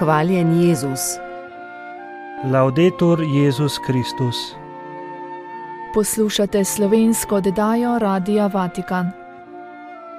Hvaljen Jezus. Laudetur Jezus Kristus. Poslušate slovensko oddajo Radia Vatikan.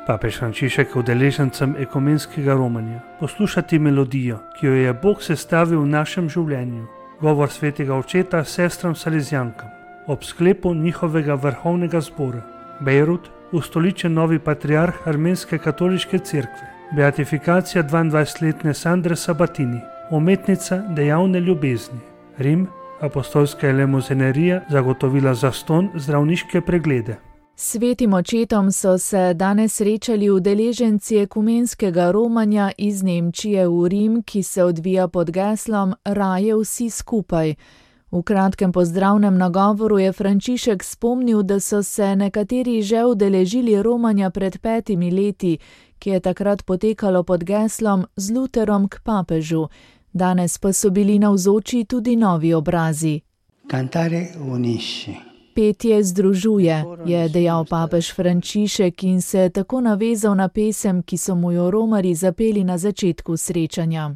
Papež Frančišek udeležencem ekumenskega romanja poslušati melodijo, ki jo je Bog sestavil v našem življenju, govor svetega očeta sestram Salezjankam, ob sklepu njihovega vrhovnega zbora. Bejrut, ustoličen novi patriarh Armenske katoliške cerkve, beatifikacija 22-letne Sandre Sabatini, umetnica dejavne ljubezni. Rim, apostolska elemozinerija zagotovila zastonj zdravniške preglede. Svetim očetom so se danes srečali udeleženci ekumenskega romanja iz Nemčije v Rim, ki se odvija pod geslom Raje vsi skupaj. V kratkem pozdravnem nagovoru je Frančišek spomnil, da so se nekateri že udeležili romanja pred 5 leti, ki je takrat potekalo pod geslom Z Luterom k papežu. Danes pa so bili navzoči tudi novi obrazi. Cantare unisce. Petje združuje, je dejal papež Frančišek in se tako navezal na pesem, ki so mu jo romarji zapeli na začetku srečanja.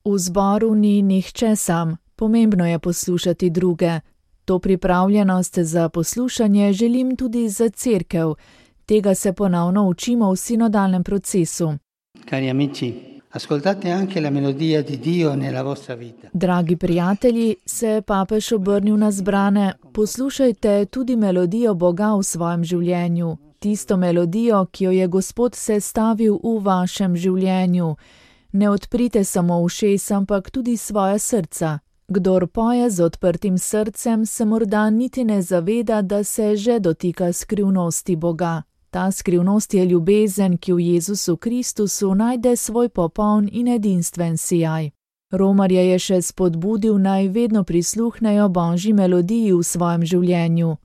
V zboru ni nihče sam, pomembno je poslušati druge. To pripravljenost za poslušanje želim tudi za cerkev. Tega se ponovno učimo v sinodalnem procesu. Cari amici, ascoltate anche la melodia di Dio nella vostra vita. Dragi prijatelji, se je papež obrnil na zbrane, poslušajte tudi melodijo Boga v svojem življenju, tisto melodijo, ki jo je Gospod sestavil v vašem življenju. Ne odprite samo ušes, ampak tudi svoja srca. Kdor poje z odprtim srcem, se morda niti ne zaveda, da se že dotika skrivnosti Boga. Ta skrivnost je ljubezen, ki v Jezusu Kristusu najde svoj popoln in edinstven sijaj. Romarje je še spodbudil, naj vedno prisluhnejo Božji melodiji v svojem življenju.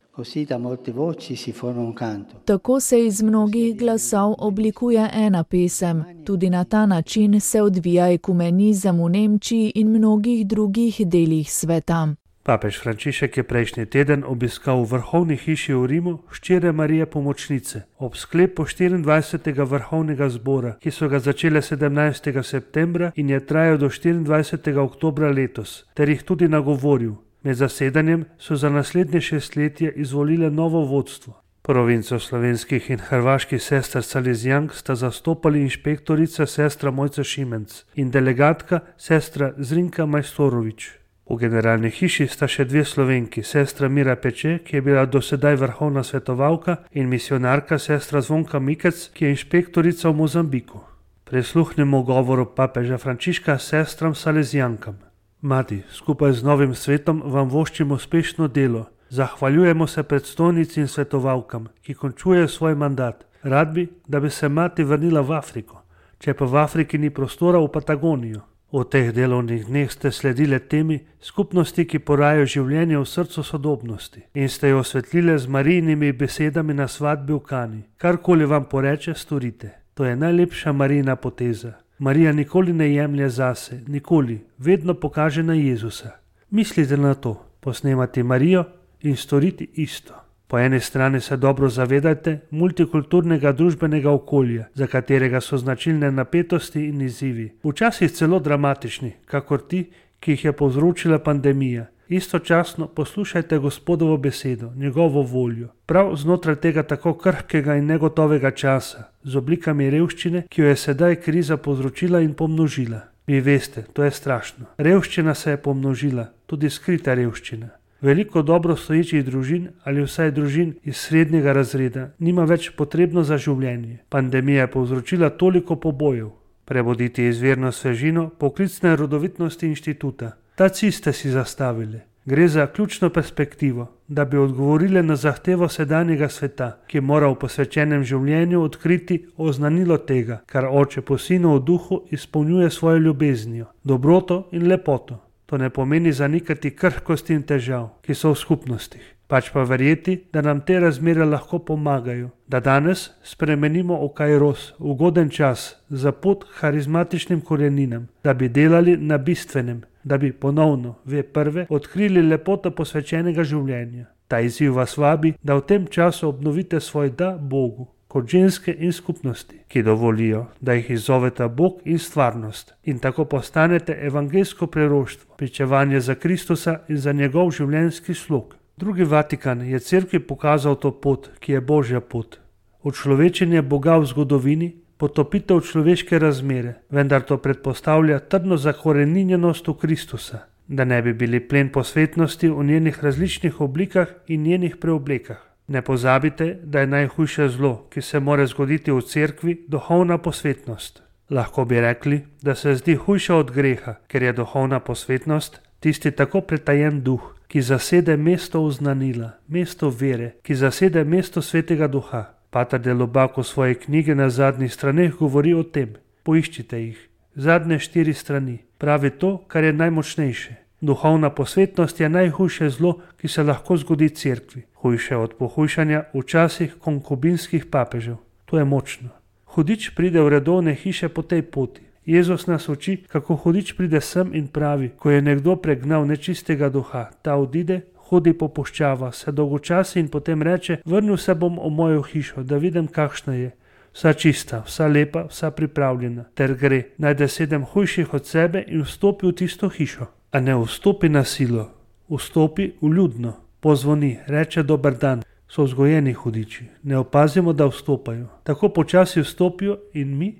Tako se iz mnogih glasov oblikuje ena pesem. Tudi na ta način se odvija ekumenizem v Nemčiji in mnogih drugih delih sveta. Papež Frančišek je prejšnji teden obiskal v vrhovni hiši v Rimu hčere Marije Pomočnice ob sklepu 24. vrhovnega zbora, ki so ga začele 17. septembra in je trajal do 24. oktobra letos, ter jih tudi nagovoril. Med zasedanjem so za naslednje 6 letje izvolile novo vodstvo. Provinco slovenskih in hrvaških sester Salezjank sta zastopali inšpektorica sestra Mojca Šimenc in delegatka sestra Zrinka Majstorovič. V generalni hiši sta še 2 Slovenki, sestra Mira Peče, ki je bila dosedaj vrhovna svetovalka, in misionarka sestra Zvonka Mikec, ki je inšpektorica v Mozambiku. Prisluhnemo govoru papeža Frančiška sestram Salezjankam. Mati, skupaj z novim svetom vam voščim uspešno delo. Zahvaljujemo se predstojnici in svetovalkam, ki končujejo svoj mandat. Rad bi, da bi se mati vrnila v Afriko, če pa v Afriki ni prostora, v Patagonijo. V teh delovnih dneh ste sledile temi skupnosti, ki porajajo življenje v srcu sodobnosti in ste jo osvetlile z Marijinimi besedami na svadbi v Kani. Karkoli vam poreče, storite. To je najlepša Marijina poteza. Marija nikoli ne jemlje zase, nikoli, vedno pokaže na Jezusa. Mislite na to, posnemati Marijo in storiti isto. Po eni strani se dobro zavedajte multikulturnega družbenega okolja, za katerega so značilne napetosti in izzivi, včasih celo dramatični, kakor ti, ki jih je povzročila pandemija. Istočasno poslušajte Gospodovo besedo, njegovo voljo. Prav znotraj tega tako krhkega in negotovega časa, z oblikami revščine, ki jo je sedaj kriza povzročila in pomnožila. Vi veste, to je strašno. Revščina se je pomnožila, tudi skrita revščina. Veliko dobro stoječih družin ali vsaj družin iz srednjega razreda nima več potrebno za življenje. Pandemija je povzročila toliko pobojev. Prebuditi izvirno svežino poklicne rodovitnosti inštituta. Ta cilj ste si zastavili. Gre za ključno perspektivo, da bi odgovorili na zahtevo sedanjega sveta, ki mora v posvečenem življenju odkriti oznanilo tega, kar Oče po Sinu v duhu izpolnjuje svojo ljubeznijo, dobroto in lepoto. To ne pomeni zanikati krhkosti in težav, ki so v skupnostih, pač pa verjeti, da nam te razmere lahko pomagajo, da danes spremenimo v kairos, ugoden čas, za pot harizmatičnim koreninam, da bi delali na bistvenem, da bi ponovno, prve, odkrili lepoto posvečenega življenja. Ta izziv vas vabi, da v tem času obnovite svoj da Bogu, kot ženske in skupnosti, ki dovolijo, da jih izzoveta Bog in stvarnost in tako postanete evangeljsko preroštvo, pričevanje za Kristusa in za njegov življenjski slog. Drugi Vatikan je cerkvi pokazal to pot, ki je Božja pot. Učlovečenje Boga v zgodovini, potopitev človeške razmere, vendar to predpostavlja trdno zakoreninjenost v Kristusa, da ne bi bili plen posvetnosti v njenih različnih oblikah in njenih preoblekah. Ne pozabite, da je najhujše zlo, ki se more zgoditi v cerkvi, duhovna posvetnost. Lahko bi rekli, da se zdi hujša od greha, ker je duhovna posvetnost tisti tako pretajen duh, ki zasede mesto oznanila, mesto vere, ki zasede mesto svetega duha. Pater de Lubac v svoji knjigi na zadnjih straneh govori o tem. Poiščite jih. Zadnje 4 strani. Pravi to, kar je najmočnejše. Duhovna posvetnost je najhujše zlo, ki se lahko zgodi cerkvi. Hujše od pohujšanja v časih konkubinskih papežev. To je močno. Hudič pride v redovne hiše po tej poti. Jezus nas uči, kako hudič pride sem in pravi, ko je nekdo pregnal nečistega duha, ta odide, hodi po puščava, se dolgočasi in potem reče, vrnil se bom v mojo hišo, da vidim, kakšna je. Vsa čista, vsa lepa, vsa pripravljena, ter gre, najde 7 hujših od sebe in vstopi v tisto hišo. A ne vstopi na silo, vstopi vljudno, pozvoni, reče dober dan. So vzgojeni hudiči, ne opazimo, da vstopajo. Tako počasi vstopijo in mi,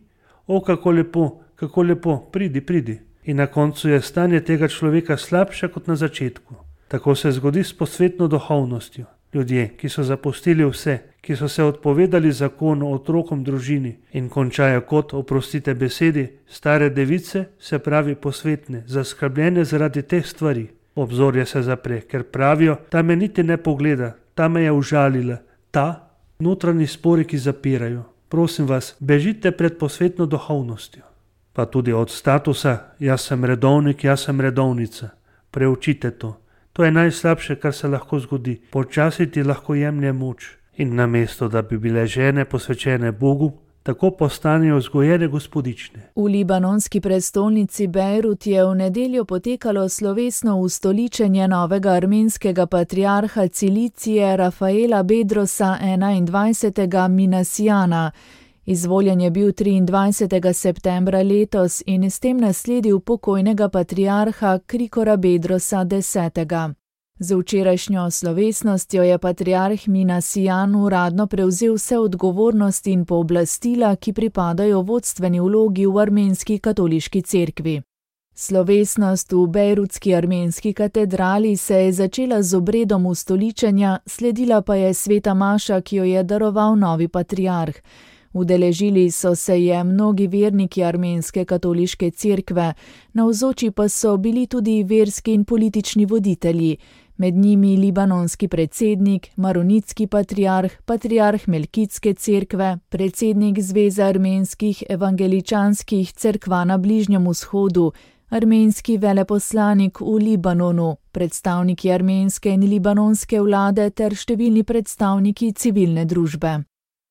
kako lepo, pridi. In na koncu je stanje tega človeka slabše kot na začetku. Tako se zgodi s posvetno duhovnostjo. Ljudje, ki so zapustili vse, ki so se odpovedali zakonu, otrokom, družini in končajo kot, oprostite besedi, stare device, se pravi posvetne, zaskrbljene zaradi teh stvari. Obzorje se zapre, ker pravijo, ta me niti ne pogleda, ta me je užalila, ta notranji spori, ki zapirajo. Prosim vas, bežite pred posvetno duhovnostjo. Pa tudi od statusa, jaz sem redovnik, jaz sem redovnica. Preučite to. To je najslabše, kar se lahko zgodi. Počasi ti lahko jemlje moč. In namesto, da bi bile žene posvečene Bogu, tako postanejo vzgojene gospodične. V libanonski prestolnici Bejrut je v nedeljo potekalo slovesno ustoličenje novega armenskega patriarha Cilicije Rafaela Bedrosa 21. Minasijana. Izvoljen je bil 23. septembra letos in s tem nasledil pokojnega patriarha Krikora Bedrosa 10. Z včerajšnjo slovesnostjo je patriarh Minasijan uradno prevzel vse odgovornosti in pooblastila, ki pripadajo vodstveni vlogi v armenski katoliški cerkvi. Slovesnost v bejrutski armenski katedrali se je začela z obredom ustoličenja, sledila pa je sveta maša, ki jo je daroval novi patriarh. Udeležili so se je mnogi verniki armenske katoliške cerkve, navzoči pa so bili tudi verski in politični voditelji, med njimi libanonski predsednik, maronitski patriarh, patriarh Melkitske cerkve, predsednik Zveze armenskih evangeličanskih cerkva na Bližnjem vzhodu, armenski veleposlanik v Libanonu, predstavniki armenske in libanonske vlade ter številni predstavniki civilne družbe.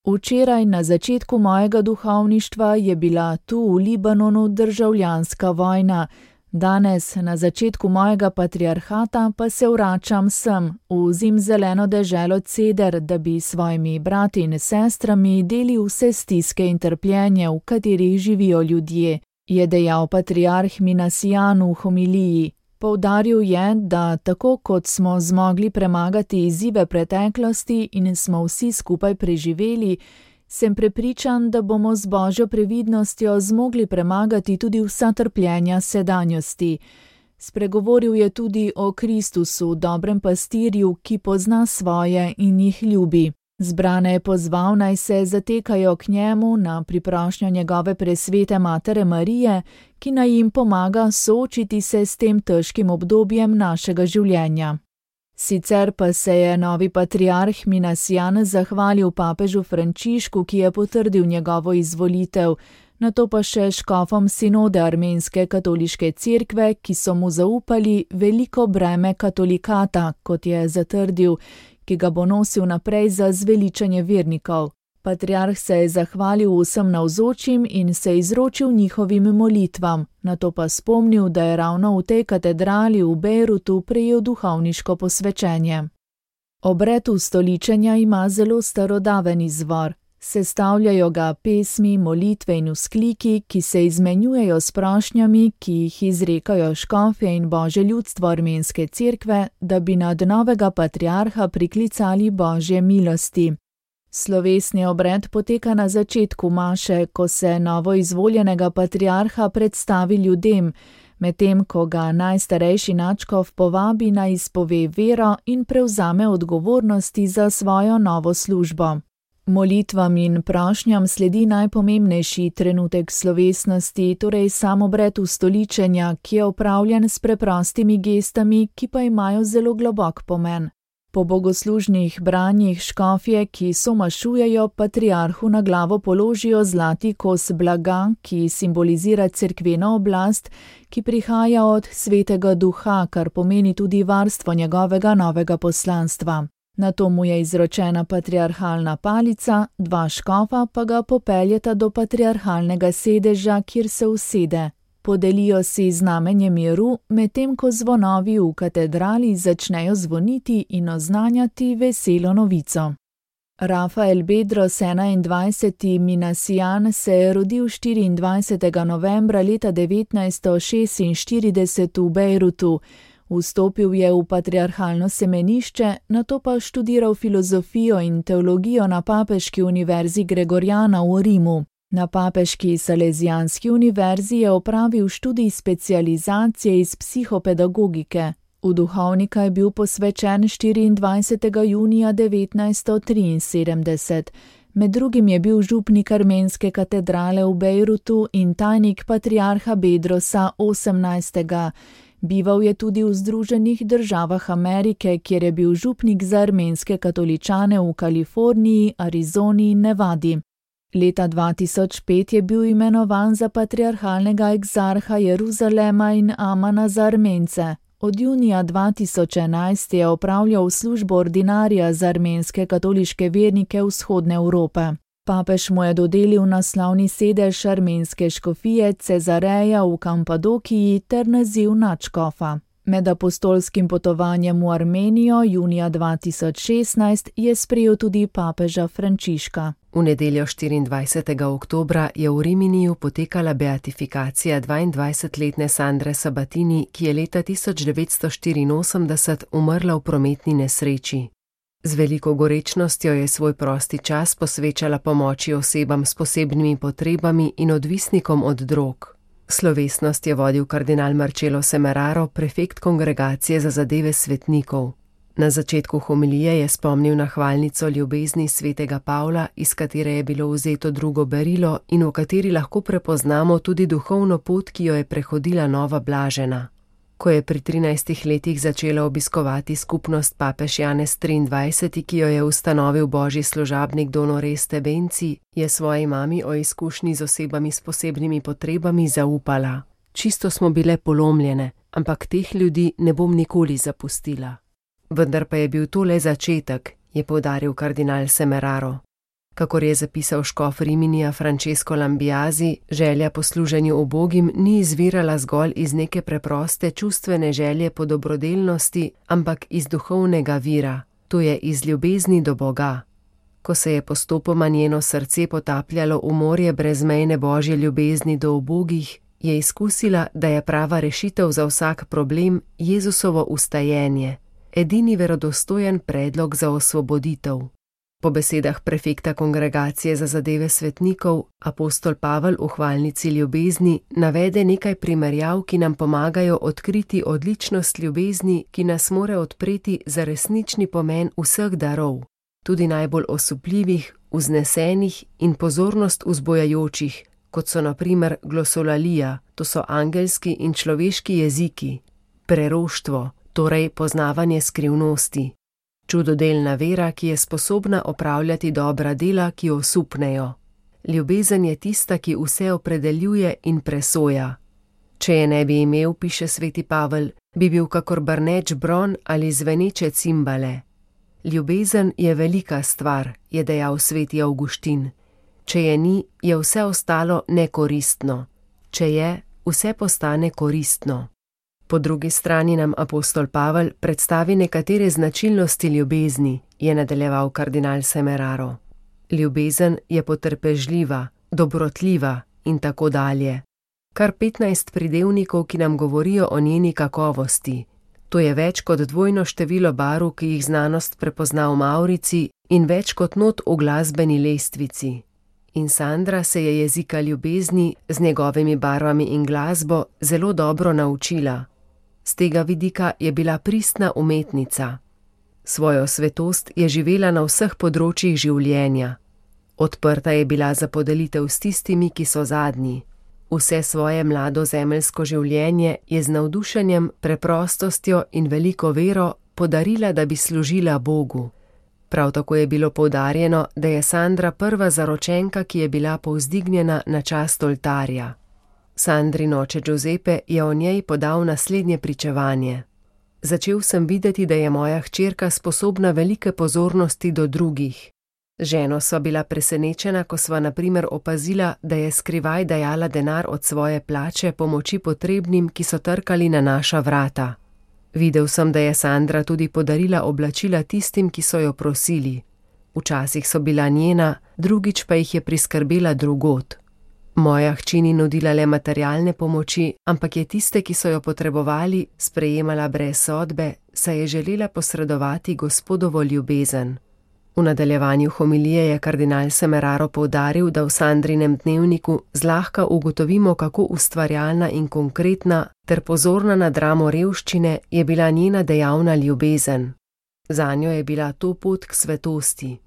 Včeraj na začetku mojega duhovništva je bila tu v Libanonu državljanska vojna. Danes, na začetku mojega patriarhata, pa se vračam sem, v zimzeleno deželo Ceder, da bi s svojimi brati in sestrami delil vse stiske in trpljenje, v katerih živijo ljudje, je dejal patriarh Minasijan v homiliji. Poudaril je, da tako kot smo zmogli premagati izzive preteklosti in smo vsi skupaj preživeli, sem prepričan, da bomo z Božjo previdnostjo zmogli premagati tudi vsa trpljenja sedanjosti. Spregovoril je tudi o Kristusu, dobrem pastirju, ki pozna svoje in jih ljubi. Zbrane je pozval, naj se zatekajo k njemu na priprošnjo njegove presvete matere Marije, ki naj jim pomaga soočiti se s tem težkim obdobjem našega življenja. Sicer pa se je novi patriarh Minasijan zahvalil papežu Frančišku, ki je potrdil njegovo izvolitev, nato pa še škofom sinode armenske katoliške cerkve, ki so mu zaupali veliko breme katolikata, kot je zatrdil, ki ga bo nosil naprej za zveličanje vernikov. Patriarh se je zahvalil vsem navzočim in se izročil njihovim molitvam, nato pa spomnil, da je ravno v tej katedrali v Bejrutu prejel duhovniško posvečenje. Obred ustoličenja ima zelo starodaven izvor. Sestavljajo ga pesmi, molitve in vzkliki, ki se izmenjujejo s prošnjami, ki jih izrekajo škofje in božje ljudstvo armenske cerkve, da bi nad novega patriarha priklicali božje milosti. Slovesni obred poteka na začetku maše, ko se novoizvoljenega patriarha predstavi ljudem, medtem ko ga najstarejši nadškof povabi naj izpove vero in prevzame odgovornosti za svojo novo službo. Molitvam in prošnjam sledi najpomembnejši trenutek slovesnosti, torej sam obred ustoličenja, ki je opravljen s preprostimi gestami, ki pa imajo zelo globok pomen. Po bogoslužnih branjih škofje, ki somašujejo, patriarhu na glavo položijo zlati kos blaga, ki simbolizira cerkveno oblast, ki prihaja od Svetega Duha, kar pomeni tudi varstvo njegovega novega poslanstva. Nato mu je izročena patriarhalna palica, dva škofa pa ga popeljeta do patriarhalnega sedeža, kjer se usede. Podelijo si znamenje miru, medtem ko zvonovi v katedrali začnejo zvoniti in oznanjati veselo novico. Rafael Bedros 21. Minasijan se je rodil 24. novembra leta 1946 v Bejrutu. Vstopil je v patriarhalno semenišče, nato pa študiral filozofijo in teologijo na Papeški univerzi Gregoriana v Rimu. Na Papeški Salezijanski univerzi je opravil študij specializacije iz psihopedagogike. V duhovnika je bil posvečen 24. junija 1973. Med drugim je bil župnik armenske katedrale v Bejrutu in tajnik patriarha Bedrosa 18. Bival je tudi v Združenih državah Amerike, kjer je bil župnik za armenske katoličane v Kaliforniji, Arizoni in Nevadi. Leta 2005 je bil imenovan za patriarhalnega egzarha Jeruzalema in Amana za Armence. Od junija 2011 je opravljal službo ordinarija za armenske katoliške vernike vzhodne Evrope. Papež mu je dodelil naslovni sedež armenske škofije Cezareja v Kampadokiji ter naziv nadškofa. Med apostolskim potovanjem v Armenijo junija 2016 je sprejel tudi papeža Frančiška. V nedeljo 24. oktobra je v Riminiju potekala beatifikacija 22-letne Sandre Sabatini, ki je leta 1984 umrla v prometni nesreči. Z veliko gorečnostjo je svoj prosti čas posvečala pomoči osebam s posebnimi potrebami in odvisnikom od drog. Slovesnost je vodil kardinal Marcello Semeraro, prefekt Kongregacije za zadeve svetnikov. Na začetku homilije je spomnil na hvalnico ljubezni svetega Pavla, iz katere je bilo vzeto drugo berilo in v kateri lahko prepoznamo tudi duhovno pot, ki jo je prehodila nova blažena. Ko je pri 13 letih začela obiskovati skupnost papež Janez 23., ki jo je ustanovil božji služabnik Don Oreste Benci, je svoji mami o izkušnji z osebami s posebnimi potrebami zaupala. Čisto smo bile polomljene, ampak teh ljudi ne bom nikoli zapustila. Vendar pa je bil to le začetek, je poudaril kardinal Semeraro. Kakor je zapisal škof Riminija Francesco Lambiasi, želja po služenju ubogim ni izvirala zgolj iz neke preproste čustvene želje po dobrodelnosti, ampak iz duhovnega vira, to je iz ljubezni do Boga. Ko se je postopoma njeno srce potapljalo v morje brezmejne božje ljubezni do ubogih, je izkusila, da je prava rešitev za vsak problem Jezusovo ustajenje, edini verodostojen predlog za osvoboditev. Po besedah prefekta Kongregacije za zadeve svetnikov, apostol Pavel v hvalnici ljubezni navede nekaj primerjav, ki nam pomagajo odkriti odličnost ljubezni, ki nas more odpreti za resnični pomen vseh darov, tudi najbolj osupljivih, vznesenih in pozornost vzbojajočih, kot so na primer glosolalija, to so angelski in človeški jeziki, preroštvo, torej poznavanje skrivnosti, čudodelna vera, ki je sposobna opravljati dobra dela, ki osupnejo. Ljubezen je tista, ki vse opredeljuje in presoja. Če je ne bi imel, piše sveti Pavel, bi bil kakor brneč bron ali zveneče cimbale. Ljubezen je velika stvar, je dejal sveti Avguštin. Če je ni, je vse ostalo nekoristno. Če je, vse postane koristno. Po drugi strani nam apostol Pavel predstavi nekatere značilnosti ljubezni, je nadaljeval kardinal Semeraro. Ljubezen je potrpežljiva, dobrotljiva in tako dalje. Kar 15 pridevnikov, ki nam govorijo o njeni kakovosti. To je več kot dvojno število barv, ki jih znanost prepozna v mavrici, in več kot not v glasbeni lestvici. In Sandra se je jezika ljubezni z njegovimi barvami in glasbo zelo dobro naučila. Z tega vidika je bila pristna umetnica. Svojo svetost je živela na vseh področjih življenja. Odprta je bila za podelitev s tistimi, ki so zadnji. Vse svoje mlado zemeljsko življenje je z navdušenjem, preprostostjo in veliko vero podarila, da bi služila Bogu. Prav tako je bilo poudarjeno, da je Sandra prva zaročenka, ki je bila povzdignjena na čast oltarja. Sandrin oče Giuseppe je o njej podal naslednje pričevanje. Začel sem videti, da je moja hčerka sposobna velike pozornosti do drugih. Z ženo sva bila presenečena, ko sva na primer opazila, da je skrivaj dajala denar od svoje plače pomoči potrebnim, ki so trkali na naša vrata. Videl sem, da je Sandra tudi podarila oblačila tistim, ki so jo prosili. Včasih so bila njena, drugič pa jih je priskrbela drugod. Moja hči ni nudila le materialne pomoči, ampak je tiste, ki so jo potrebovali, sprejemala brez sodbe, saj je želela posredovati Gospodovo ljubezen. V nadaljevanju homilije je kardinal Semeraro poudaril, da v Sandrinem dnevniku zlahka ugotovimo, kako ustvarjalna in konkretna ter pozorna na dramo revščine je bila njena dejavna ljubezen. Zanjo je bila to pot k svetosti.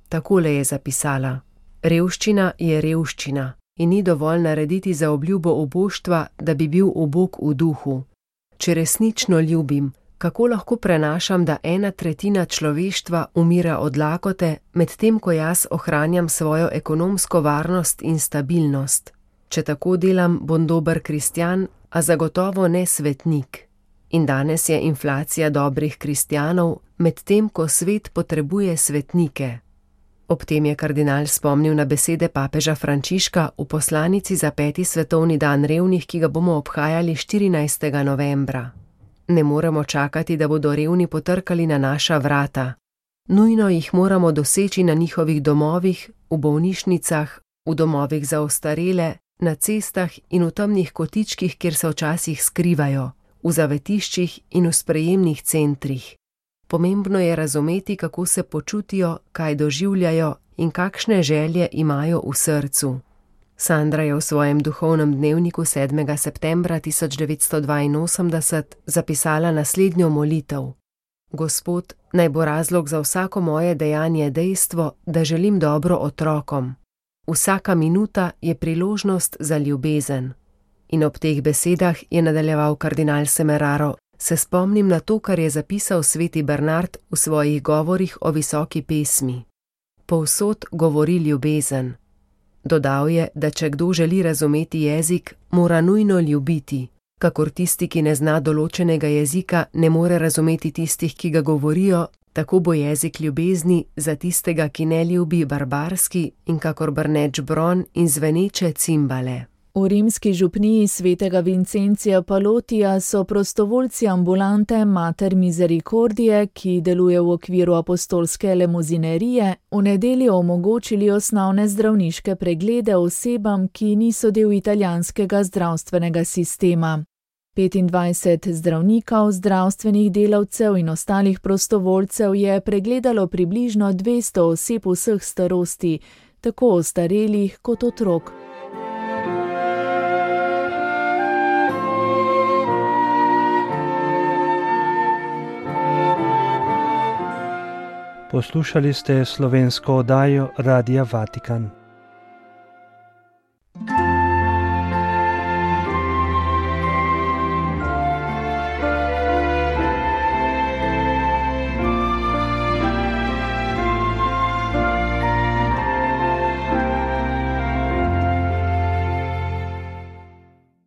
Takole je zapisala: Revščina je revščina in ni dovolj narediti za obljubo oboštva, da bi bil ubog v duhu. Če resnično ljubim, kako lahko prenašam, da 1/3 človeštva umira od lakote, medtem ko jaz ohranjam svojo ekonomsko varnost in stabilnost? Če tako delam, bom dober kristjan, a zagotovo ne svetnik. In danes je inflacija dobrih kristjanov, medtem ko svet potrebuje svetnike. Ob tem je kardinal spomnil na besede papeža Frančiška v poslanici za 5. svetovni dan revnih, ki ga bomo obhajali 14. novembra. Ne moremo čakati, da bodo revni potrkali na naša vrata. Nujno jih moramo doseči na njihovih domovih, v bolnišnicah, v domovih za ostarele, na cestah in v temnih kotičkih, kjer se včasih skrivajo, v zavetiščih in v sprejemnih centrih. Pomembno je razumeti, kako se počutijo, kaj doživljajo in kakšne želje imajo v srcu. Sandra je v svojem duhovnem dnevniku 7. septembra 1982 zapisala naslednjo molitev. Gospod, naj bo razlog za vsako moje dejanje dejstvo, da želim dobro otrokom. Vsaka minuta je priložnost za ljubezen. In ob teh besedah je nadaljeval kardinal Semeraro, se spomnim na to, kar je zapisal sveti Bernard v svojih govorih o visoki pesmi. Povsod govori ljubezen. Dodal je, da če kdo želi razumeti jezik, mora nujno ljubiti, kakor tisti, ki ne zna določenega jezika, ne more razumeti tistih, ki ga govorijo, tako bo jezik ljubezni za tistega, ki ne ljubi, barbarski in kakor brneč bron in zveneče cimbale. V rimski župniji svetega Vincencija Palotija so prostovoljci ambulante Mater Misericordie, ki deluje v okviru apostolske lemuzinerije, v nedeljo omogočili osnovne zdravniške preglede osebam, ki niso del italijanskega zdravstvenega sistema. 25 zdravnikov, zdravstvenih delavcev in ostalih prostovoljcev je pregledalo približno 200 oseb vseh starosti, tako ostarelih kot otrok. Poslušali ste slovensko oddajo Radia Vatikan.